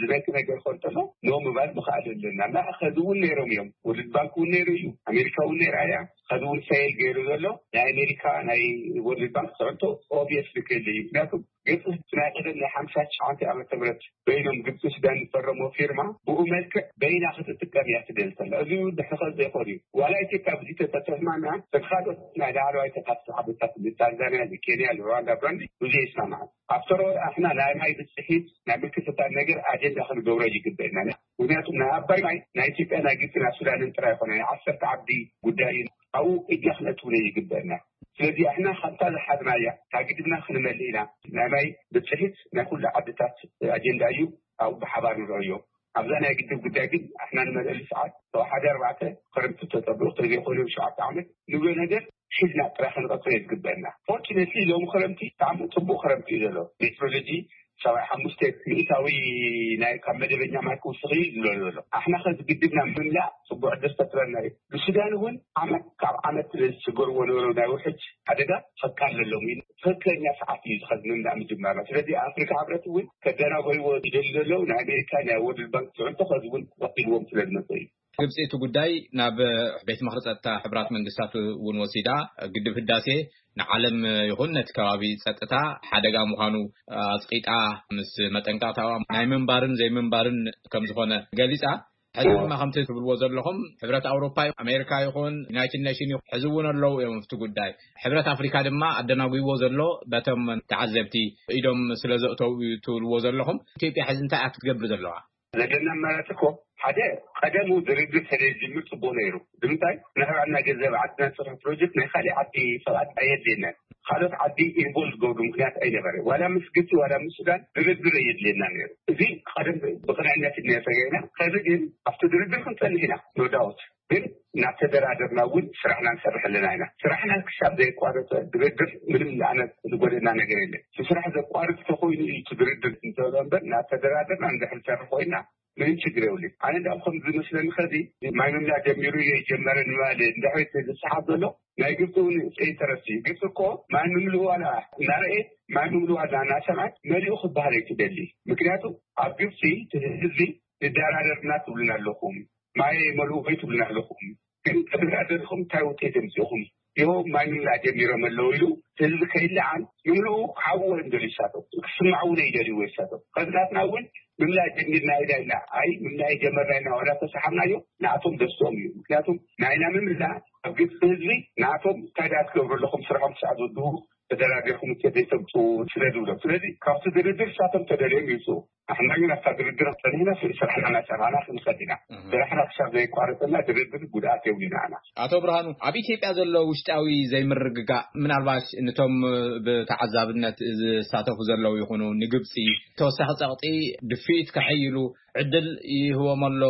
ዝነኪ ነገር ክኾን እንተሎ ኖ ምባል ምኽኣል ኣለና። እና ከዚ እውን ነይሮም እዮም። ወርልድ ባንክ እውን ነይሩ እዩ፣ ኣሜሪካ እውን ነይራ እያ። ከዚ እውን ፌል ገይሩ ዘሎ ናይ ኣሜሪካ ናይ ወርልድ ባንክ ፅዕንቶ ኦብቪየስሊ ክህሉ እዩ። ምክንያቱ ግብፂ ናይ ቀደም ናይ ሓምሳ ትሽዓተ ዓመተ ምህረት በይኖም ግብፂ ሱዳን ዝፈረሞ ፊርማ ብኡ መልክዕ በይና ክትጥቀም እያ ትደሊ ዘላ። እዚ እውን ድሕሪ ከዚ ዘይኮን እዩ። ዋላ ኢትዮጵያ ብዙ ተተስማሚያ ካልኦት ናይ ላዕለዋይ ተፋሰስ ዓድታት ታንዛንያ፣ ኬንያ፣ ሩዋንዳ፣ ብሩንዲ ብዙ ይስማማዕ። ኣብተሮ ኣሕና ናይ ማይ ብፅሒት ናይ ምክትታል ነገር ኣጀንዳ ክንገብሮ ይግበእና። ምክንያቱም ናይ ኣባይ ማይ ናይ ኢትዮጵያ ናይ ግብፂ ናይ ሱዳንን ጥራይ ይኮነ ናይ ዓሰርተ ዓዲ ጉዳይ እዩ። ኣብኡ እጃ ክነትውነ ይግበእና። ስለዚ ኣሕና ካብታ ዝሓዝናያ ካብ ግድብና ክንመልእ ኢና። ናይ ማይ ብፅሒት ናይ ኩሉ ዓድታት ኣጀንዳ እዩ። ኣብኡ ብሓባር ንረእዮ። ኣብዛ ናይ ግድብ ጉዳይ ግን ኣሕና ንመልእሉ ሰዓት ካብ ሓደ ኣርባዕተ ክረምቲ ተጠብኡ ተዘይኮነ ሸውዓተ ዓመት ንብሎ ነገር ሒዝና ጥራይ ክንቐፅሎ ዝግበእና። ፎርቹነትሊ ሎም ክረምቲ ብጣዕሚ ፅቡቅ ክረምቲ እዩ ዘሎ። ሜትሮሎጂ ሰብዓ ሓሙሽተ ሚእታዊ ናይ ካብ መደበኛ ማይ ክውስኽ እዩ ዝብሎ ዘሎ። ኣሕና ከዚ ግድብና ምምላእ ፅቡቅ ዕድል ፈጥረና እዩ። ብሱዳን እውን ዓመት ካብ ዓመት ዝስገርዎ ነበሩ ናይ ውሕጅ ሓደጋ ከቃለሎም እዩ። ትክክለኛ ሰዓት እዩ ዝኸዚ ምምላእ ምጅማርና። ስለዚ ኣፍሪካ ሕብረት እውን ከደናጎይዎ ይደሊ ዘለዉ ናይ ኣሜሪካ ናይ ወርልድ ባንክ ፅዕንቶ ከዚ እውን ወቂልዎም ስለ ዝመፀ እዩ። ግብፂ እቲ ጉዳይ ናብ ቤት ምኽሪ ፀጥታ ሕቡራት መንግስታት እውን ወሲዳ፣ ግድብ ህዳሴ ንዓለም ይኹን ነቲ ከባቢ ፀጥታ ሓደጋ ምዃኑ ኣፅቂጣ ምስ መጠንቀቕታዋ ናይ ምንባርን ዘይምንባርን ከም ዝኾነ ገሊፃ። ሕዚ ድማ ከምቲ ትብልዎ ዘለኹም ሕብረት ኣውሮፓ፣ ኣሜሪካ ይኹን ዩናይትድ ኔሽን ይኹን ሕዚ እውን ኣለዉ እዮም ኣብቲ ጉዳይ። ሕብረት ኣፍሪካ ድማ ኣደናጒዎ ዘሎ በቶም ተዓዘብቲ ኢዶም ስለ ዘእተው እዩ ትብልዎ ዘለኹም። ኢትዮጵያ ሕዚ እንታይ እያ ክትገብር ዘለዋ? ዘለና ኣማራፂ እኮ ሓደ ቀደሙ ድርድር ተዘይጅምር ፅቡቅ ነይሩ። ንምንታይ ንሕብዕና ገንዘብ ዓድና ዝሰርሑ ፕሮጀክት ናይ ካሊእ ዓዲ ሰባት ኣየድልየናን። ካልኦት ዓዲ ኢንቮልቭ ዝገብሩ ምክንያት ኣይነበረ። ዋላ ምስ ግብፂ ዋላ ምስ ሱዳን ድርድር ኣየድልየና ነይሩ። እዚ ቀደም ብቅንዕነት ኢና ተገይና። ከዚ ግን ኣብቲ ድርድር ክንፀንሕ ኢና ኖዳውት። ግን እናተደራደርና እውን ስራሕና ንሰርሕ ኣለና ኢና። ስራሕና ክሳብ ዘየቋረፀ ድርድር ምንም ንኣነ ዝጎደና ነገር የለን። እቲ ስራሕ ዘቋርፅ ተኮይኑ እዩ እቲ ድርድር እንተሎ እምበር እናተደራደርና እንድሕር ንሰርሕ ኮይና ምንም ችግር የብሉን። ኣነ እንዳም ከም ዝመስለኒ ከዚ ማይ ምምላእ ጀሚሩ እየ ጀመረ ንምባል እንድሕር ዝሰሓብ ዘሎ ናይ ግብፂ እውን ኢንተረስት እዩ። ግብፂ እኮ ማይ ምምልኡ ዋላ እናረኤት ማይ ምምልኡ ዋላ እናሰምዐት መሊኡ ክበሃል ኣይትደሊ። ምክንያቱ ኣብ ግብፂ እቲ ህዝቢ ንደራደርና ትብሉና ኣለኹም፣ ማይ መልኡ ወይ ትብሉና ኣለኹም። ግን ተደራደርኩም እንታይ ውፅኢት የምፅእኹም? ይኸው ማይ ምምላእ ጀሚሮም ኣለዉ ኢሉ ህዝቢ ከይለዓል ምምልኡ ክሓብዎ እዮም ደልዩ ይሳተፉ፣ ክስማዕውነ ይደልይዎ ይሳተፉ። ከዝናትና እውን ምምላእ ጀሚርና ኢዳ ኢልና ኣይ ምምላእ ጀመርና ኢና ዋላ ተሰሓብናዮ ንኣቶም ደስኦም እዩ። ምክንያቱም ናይና ምምላእ ኣብ ግብፂ ህዝቢ ንኣቶም እንታይ ዳ ትገብሩ ኣለኹም ስራሖም ክሳዕ ዝውድኡ ተደራዲርኩም ውፅኢት ዘይተምፅኡ ስለ ዝብሎም። ስለዚ ካብቲ ድርድር ንሳቶም ተደልዮም ይውፅኡ። ኣሕና ግን ኣብታ ድርድር ጸኒሕና ስራሕና እናሰራሕና ክንኸድ ኢና። ስራሕና ክሳብ ዘየቋረፀና ድርድር ጉድኣት የብሉን ንዓና። ኣቶ ብርሃኑ፣ ኣብ ኢትዮጵያ ዘሎ ውሽጣዊ ዘይምርግጋእ ምናልባት ነቶም ብተዓዛብነት ዝሳተፉ ዘለዉ ይኹኑ ንግብፂ ተወሳኺ ፀቕጢ ድፍኢት ከሐይሉ ዕድል ይህቦም ኣሎ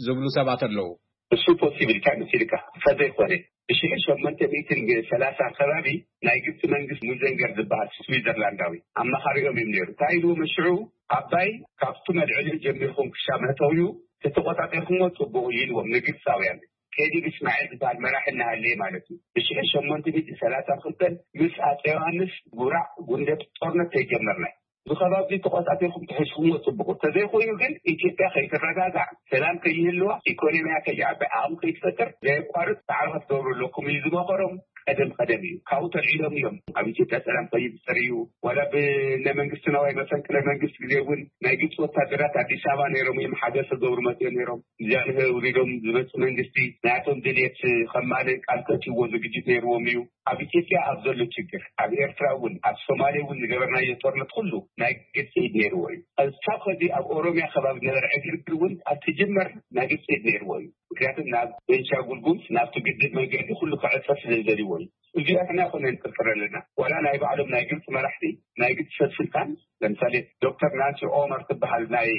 ዝብሉ ሰባት ኣለዉ። እሱ ፖሲብል እንታይ መሲልካ? ከዘይኮነ ብሽሕ ሸሞንተ ሚእትን ሰላሳን ከባቢ ናይ ግብፂ መንግስቲ ሙዘንገር ዝበሃል ስዊዘርላንዳዊ ኣማኻሪኦም እዮም ነይሩ። እንታይ ኢልዎም ሽዑ? ኣባይ ካብቲ መልዕሊኡ ጀሚርኩም ክሻብ መእተዊኡ ተተቆጣጢርኩሞ ፅቡቅ እዩ ኢልዎም ንግብፃውያን። ከዲር እስማዒል ዝበሃል መራሒ እናሃለየ ማለት እዩ። ብሽሕ ሸሞንተ ሚእትን ሰላሳን ክልተን ምስ ኣፀ ዮሃንስ ጉራዕ ጉንደት ጦርነት ተይጀመርና እዚ ከባቢ ተቆፃፂርኩም ተሒዝኩሞ ፅቡቅ። ተዘይኮይኑ ግን ኢትዮጵያ ከይትረጋጋዕ፣ ሰላም ከይህልዋ፣ ኢኮኖሚያ ከይዓቢ፣ ዓቕሚ ከይትፈጥር ዘየቋርፅ ፃዕሪ ክትገብሩ ኣለኩም እዩ ዝመኸሮም። ቀደም ቀደም እዩ ካብኡ ተልዒሎም እዮም ኣብ ኢትዮጵያ ሰላም ከይፍጠር እዩ። ዋላ ብነ መንግስቲ ነዋይ መፈንቅለ መንግስቲ ግዜ እውን ናይ ግብፂ ወታደራት ኣዲስ ኣበባ ነይሮም እዮም ሓገዝ ክገብሩ መፅኦም ነይሮም። ጃንሆይ ኣውሪዶም ዝመፁ መንግስቲ ናቶም ድልየት ከማልእ ቃል ከእትይዎ ዝግጅት ነይርዎም እዩ። ኣብ ኢትዮጵያ ኣብ ዘሎ ችግር ኣብ ኤርትራ እውን ኣብ ሶማሌ እውን ዝገበርናዮ ጦርነት ኩሉ ናይ ግብፂ ኢድ ነይርዎ እዩ። ክሳብ ከዚ ኣብ ኦሮሚያ ከባቢ ዝነበረ ዕግርግር እውን ኣብ ትጅመር ናይ ግብፂ ኢድ ነይርዎ እዩ። ምክንያቱ ናብ ቤንሻንጉል ጉምዝ ናብቲ ግድብ መንገዲ ኩሉ ክዕፀ ስለ ዝደልይዎ እዩ። እዚኣ ሕና ኮነ ንጥርጥር ኣለና። ዋላ ናይ ባዕሎም ናይ ግብፂ መራሕቲ ናይ ግብፂ ሰብ ስልጣን ለምሳሌ ዶክተር ናንሲ ኦመር ትበሃል ናይ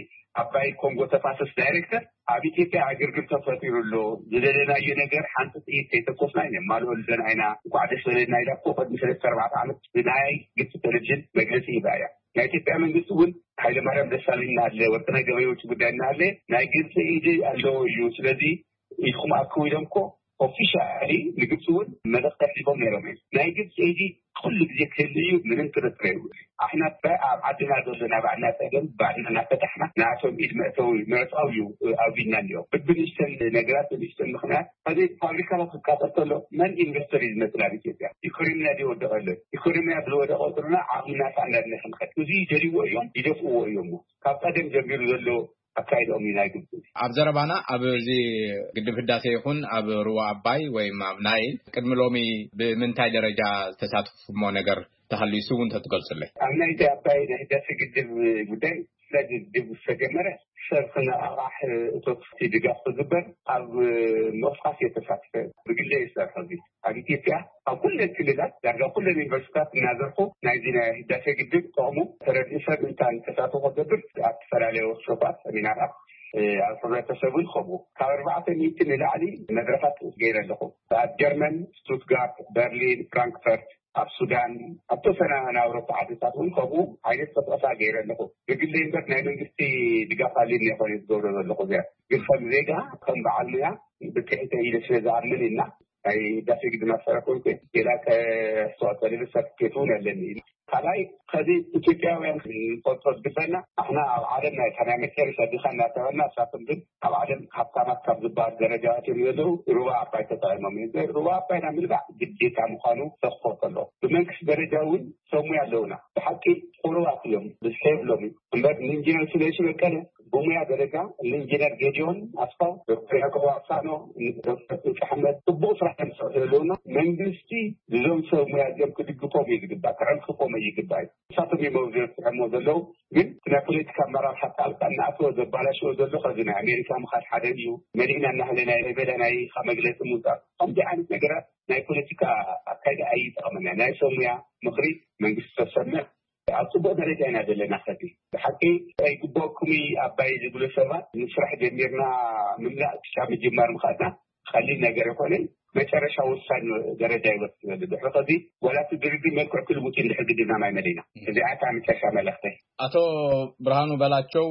ኣባይ ኮንጎ ተፋሰስ ዳይሬክተር ኣብ ኢትዮጵያ ዕግርግር ተፈጢሩ ኣሎ፣ ዝደለናዮ ነገር ሓንቲ ጥይት ከይተኮስና ይነማልኦ ኣለና ኢና፣ እንኳዕ ደስ በለና ኢላ እኮ ቅድሚ ሰለስተ ኣርባዕተ ዓመት ብናይ ግብፂ ቴሌቪዥን መግለፂ ሂባ እያ። ናይ ኢትዮጵያ መንግስቲ እውን ሃይለማርያም ደሳለኝ እናሃለ ወርቅነህ ገበየሁ ውጭ ጉዳይ እናሃለ ናይ ግብፂ ኢድ ኣለዎ እዩ። ስለዚ ኢድኩም ኣክቡ ኢሎም እኮ ኦፊሻሊ ንግብፂ እውን መልእኽቲ ኣሕሊፎም ነይሮም እዮም። ናይ ግብፂ ኢድ ኩሉ ግዜ ክህሉ እዩ፣ ምንም ጥርጥር የብሉ። ኣሕና ኣብ ዓድና ዘሎ ናይ ባዕልና ፀገም ባዕልና እናፈታሕና ንኣቶም ኢድ መእተዊ ምዕፃው እዩ ኣብይና እኒኦ። ብብንሽተን ነገራት ብንሽተን ምክንያት ከዚ ፋብሪካታት ክቃፀል ከሎ መን ኢንቨስተር እዩ ዝመፅእ ናብ ኢትዮጵያ? ኢኮኖሚያ ድወደቀ ኣሎ። ኢኮኖሚያ ብዝወደቀ ቁርና ዓቕምና ሳእንዳድና ክንኸድ እዚ ይደልይዎ እዮም፣ ይደፍእዎ እዮም። ካብ ቀደም ጀሚሩ ዘሎ ኣካይድኦም እዩ ናይ ግብፂ። ኣብ ዘረባና ኣብ እዚ ግድብ ህዳሴ ይኹን ኣብ ሩባ ኣባይ ወይ ኣብ ናይል ቅድሚ ሎሚ ብምንታይ ደረጃ ዝተሳትፉሞ ነገር ተሃልዩ እሱ እውን ተትገልጹለይ። ኣብ ናይ ኣባይ ናይ ህዳሴ ግድብ ጉዳይ ስለ ግድብ ዝተጀመረ ሰብ ክነቓቓሕ እቶት ድጋፍ ክግበር ኣብ ምቕስቃስ እየ ተሳትፈ። ብግለ ይሰርሖ እዚ ኣብ ኢትዮጵያ ኣብ ኩለን ክልላት ዳርጋ ኩለን ዩኒቨርሲቲታት እናዘርኩ ናይዚ ናይ ህዳሴ ግድብ ጥቕሙ ተረድኡ ሰብ እንታን ተሳትፎ ክገብር ኣብ ዝተፈላለዩ ወርክሾፓት፣ ሰሚናራት ኣብ ሕብረተሰብን ከምኡ ካብ ኣርባዕተ ሚእቲ ንላዕሊ መድረኻት ገይረ ኣለኹ። ኣብ ጀርመን፣ ስቱትጋርት፣ በርሊን፣ ፍራንክፈርት፣ ኣብ ሱዳን፣ ኣብ ተወሰነ ናይ ኣውሮፓ ዓድታት እውን ከምኡ ዓይነት ቅስቀሳ ገይረ ኣለኹ። ብግለይ እምበር ናይ መንግስቲ ድጋፍ ኣልኒ ይኮነ ዝገብሮ ዘለኹ እዚኣ ግን ከም ዜጋ ከም በዓል ሙያ ብትሕተ ኢለ ስለ ዝኣምን እና ናይ ህዳሴ ግድብ ማሰራ ኮንኩ ሌላ ከስተዋፀልል ሰርቲፊኬት እውን ኣለኒ። ካልኣይ ከዚ ኢትዮጵያውያን ንፈልጦ ዝግበና ኣሕና ኣብ ዓለም ናይ ናይ መጨረሻ ድኻ እናተበልና እሳቶም ግን ኣብ ዓለም ሃብታማት ካብ ዝበሃል ደረጃ እዮም ዘለዉ። ሩባ ኣባይ ተጠቂሞም እዮም። ሩባ ኣባይና ምልባዕ ግዴታ ምዃኑ ተኽፎ ከሎ ብመንግስቲ ደረጃ እውን ሰሙ ኣለውና። ብሓቂ ቁሩባት እዮም ብዝሒ የብሎም እዩ እምበር ንኢንጂነር ስለሽ በቀለ ብሙያ ደረጃ ንኢንጂነር ጌዲዮን ኣስፋው፣ ዶክተር ያዕቆብ ኣሳኖ፣ ዶክተር ጥንቂ ኣሕመድ ጽቡቕ ስራሕ እዮም ዝሰርሑ ዘለውና። መንግስቲ እዞም ሰብ ሙያ እዚኦም ክድግፎም እዩ ዝግባእ፣ ክዕንክፎም እዩ ይግባእ እዩ። ንሳቶም እዮም ኣብዚ በፂሖሞ ዘለዉ። ግን ናይ ፖለቲካ ኣመራርሓ ጣልቃ እናኣተወ ዘባላሽዎ ዘሎ ከዚ ናይ ኣሜሪካ ምኻድ ሓደ እዩ። መሊእና እናሃለ ናይ ላይቤሪያ ናይ ኢኻ መግለፂ ምውፃእ ከምዚ ዓይነት ነገራት ናይ ፖለቲካ ኣካይዳ ኣይጠቕመና። ናይ ሰብ ሙያ ምኽሪ መንግስቲ ተሰምዕ ኣብ ፅቡቅ ደረጃ ኢና ዘለና። ከዚ ብሓቂ ኣይግበኩም ኣባይ ዝብሉ ሰባት ንስራሕ ጀሚርና ምምላእ ክሻ ምጅማር ምኻድና ቀሊል ነገር ይኮነ። መጨረሻ ወሳኝ ደረጃ ይወስድ ይበል ድሕሪ ከዚ ዋላ እቲ ድርድር መልክዕ ክልውጥ እንድሕር ግድና ማይ መዲና። እዚ ኣታ መጨረሻ መልእክተይ። ኣቶ ብርሃኑ በላቸው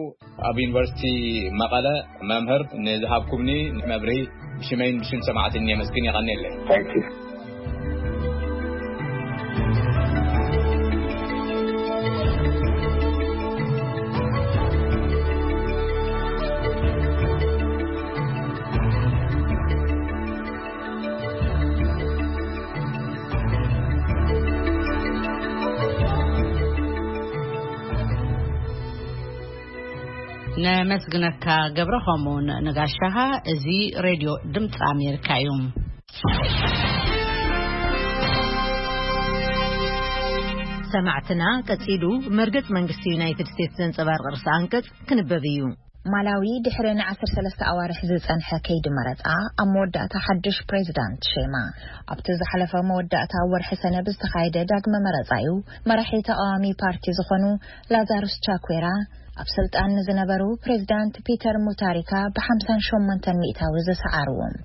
ኣብ ዩኒቨርሲቲ መቐለ መምህር ንዝሃብኩምኒ መብርሂ ብሽመይን ብሽም ሰማዕትን የመስግን። የቐንየለይ። Thank you። ነመስግነካ ገብረ፣ ከምኡውን ንጋሻኻ። እዚ ሬድዮ ድምፂ ኣሜሪካ እዩ። ሰማዕትና፣ ቀጺሉ መርገጽ መንግስቲ ዩናይትድ ስቴትስ ዘንጸባርቕ ርእሰ ኣንቀጽ ክንበብ እዩ። ማላዊ ድሕሪ ን ዓሰርተ ሰለስተ ኣዋርሕ ዝጸንሐ ከይዲ መረጻ ኣብ መወዳእታ ሓድሽ ፕሬዚዳንት ሸይማ። ኣብቲ ዝሓለፈ መወዳእታ ወርሒ ሰነ ብዝተኻየደ ዳግመ መረጻ እዩ መራሒ ተቓዋሚ ፓርቲ ዝኾኑ ላዛሩስ ቻኩዌራ ኣብ ስልጣን ንዝነበሩ ፕሬዚዳንት ፒተር ሙታሪካ ብ ሓምሳን ሸሞንተን ሚእታዊ ዝሰዓርዎም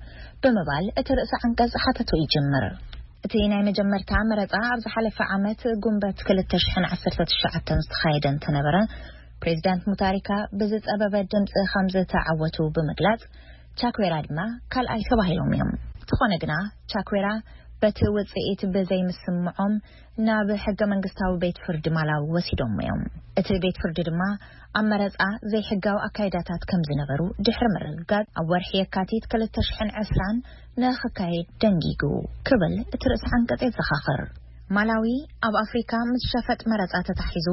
ብምባል እቲ ርእሰ ዓንቀጽ ሓተቱ ይጅምር። እቲ ናይ መጀመርታ መረጻ ኣብ ዝሓለፈ ዓመት ጉንበት ክልተ ሽሕን ዓሰርተ ትሽዓተን ዝተኻየደ እንተነበረ፣ ፕሬዚዳንት ሙታሪካ ብዝጸበበ ድምጺ ከም ዝተዓወቱ ብምግላጽ፣ ቻኩዌራ ድማ ካልኣይ ተባሂሎም እዮም። እንተኾነ ግና፣ ቻኩዌራ በቲ ውጽኢት ብዘይምስምዖም ናብ ሕገ መንግስታዊ ቤት ፍርዲ ማላዊ ወሲዶም እዮም። እቲ ቤት ፍርዲ ድማ ኣብ መረጻ ዘይሕጋዊ ኣካይዳታት ከም ዝነበሩ ድሕሪ ምርግጋጽ፣ ኣብ ወርሒ የካቲት ክልተ ሽሕን ዕስራን ንኽካየድ ደንጊጉ ክብል እቲ ርእሰ ዓንቀጽ የዘኻኽር። ማላዊ ኣብ ኣፍሪካ ምስ ሸፈጥ መረጻ ተታሒዙ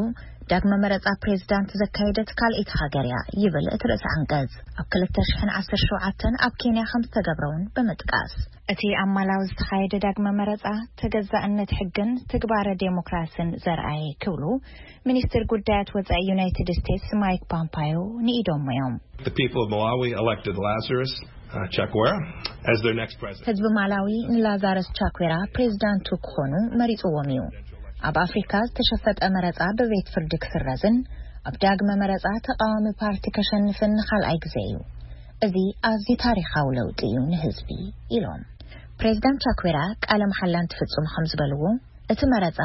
ዳግመ መረጻ ፕሬዚዳንት ዘካየደት ካልኣይቲ ሃገር እያ ይብል እቲ ርእሰ ዓንቀጽ። ኣብ ክልተ ሽሕን ዓሰርተ ሸውዓተን ኣብ ኬንያ ከም ዝተገብረ እውን ብምጥቃስ፣ እቲ ኣብ ማላዊ ዝተኻየደ ዳግመ መረጻ ተገዛእነት ሕግን ትግባረ ዴሞክራስን ዘርኣየ ክብሉ ሚኒስትር ጉዳያት ወጻኢ ዩናይትድ ስቴትስ ማይክ ፖምፓዮ ንኢዶም እዮም። The people of Malawi elected Lazarus uh, Chakwera as their next president. ህዝቢ ማላዊ ንላዛረስ ቻኩዌራ ፕሬዚዳንቱ ክኾኑ መሪጽዎም እዩ። ኣብ ኣፍሪካ ዝተሸፈጠ መረጻ ብቤት ፍርዲ ክስረዝን ኣብ ዳግመ መረጻ ተቃዋሚ ፓርቲ ከሸንፍን ንኻልኣይ ግዜ እዩ። እዚ ኣዝዩ ታሪኻዊ ለውጢ እዩ ንህዝቢ፣ ኢሎም። ፕሬዚዳንት ቻኩዌራ ቃለ መሓላ እንትፍጽሙ ከም ዝበልዎ፣ እቲ መረጻ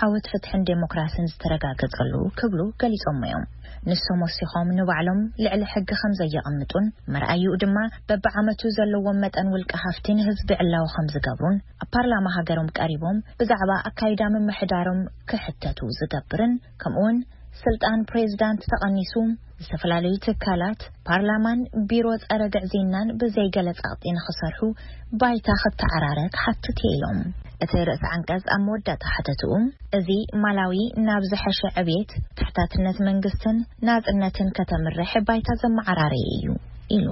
ዓወት ፍትሕን ዴሞክራሲን ዝተረጋገጸሉ ክብሉ ገሊጾም እዮም። ንሶም ወሲኾም ንባዕሎም ልዕሊ ሕጊ ከም ዘየቐምጡን መርኣይኡ ድማ በብዓመቱ ዘለዎም መጠን ውልቀ ሃፍቲ ንህዝቢ ዕላዊ ከም ዝገብሩን ኣብ ፓርላማ ሃገሮም ቀሪቦም ብዛዕባ ኣካይዳ ምምሕዳሮም ክሕተቱ ዝገብርን ከምኡውን ስልጣን ፕሬዝዳንት ተቐኒሱ ዝተፈላለዩ ትካላት ፓርላማን ቢሮ ጸረ ግዕዝይናን ብዘይገለ ጸቕጢ ንኽሰርሑ ባይታ ክተዓራረ ክሓትት እየ ኢሎም። እቲ ርእሲ ዓንቀጽ ኣብ መወዳእታ ሓተትኡ፣ እዚ ማላዊ ናብ ዝሐሸ ዕብየት፣ ተሕታትነት መንግስትን ናጽነትን ከተምርሕ ባይታ ዘመዓራረየ እዩ ኢሉ።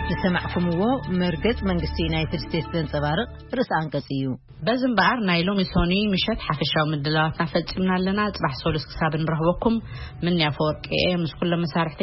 ዝሰማዕኩምዎ መርገጽ መንግስቲ ዩናይትድ ስቴትስ ዘንጸባርቕ ርእሲ ኣንቀጽ እዩ። በዚ እምበኣር ናይ ሎሚ ሶኒ ምሸት ሓፈሻዊ ምድላዋትና ፈጺምና ኣለና። ጽባሕ ሶሉስ ክሳብ እንረኽበኩም ምንያ ፈወርቂ እየ ምስ ኩሎም መሳርሕተይ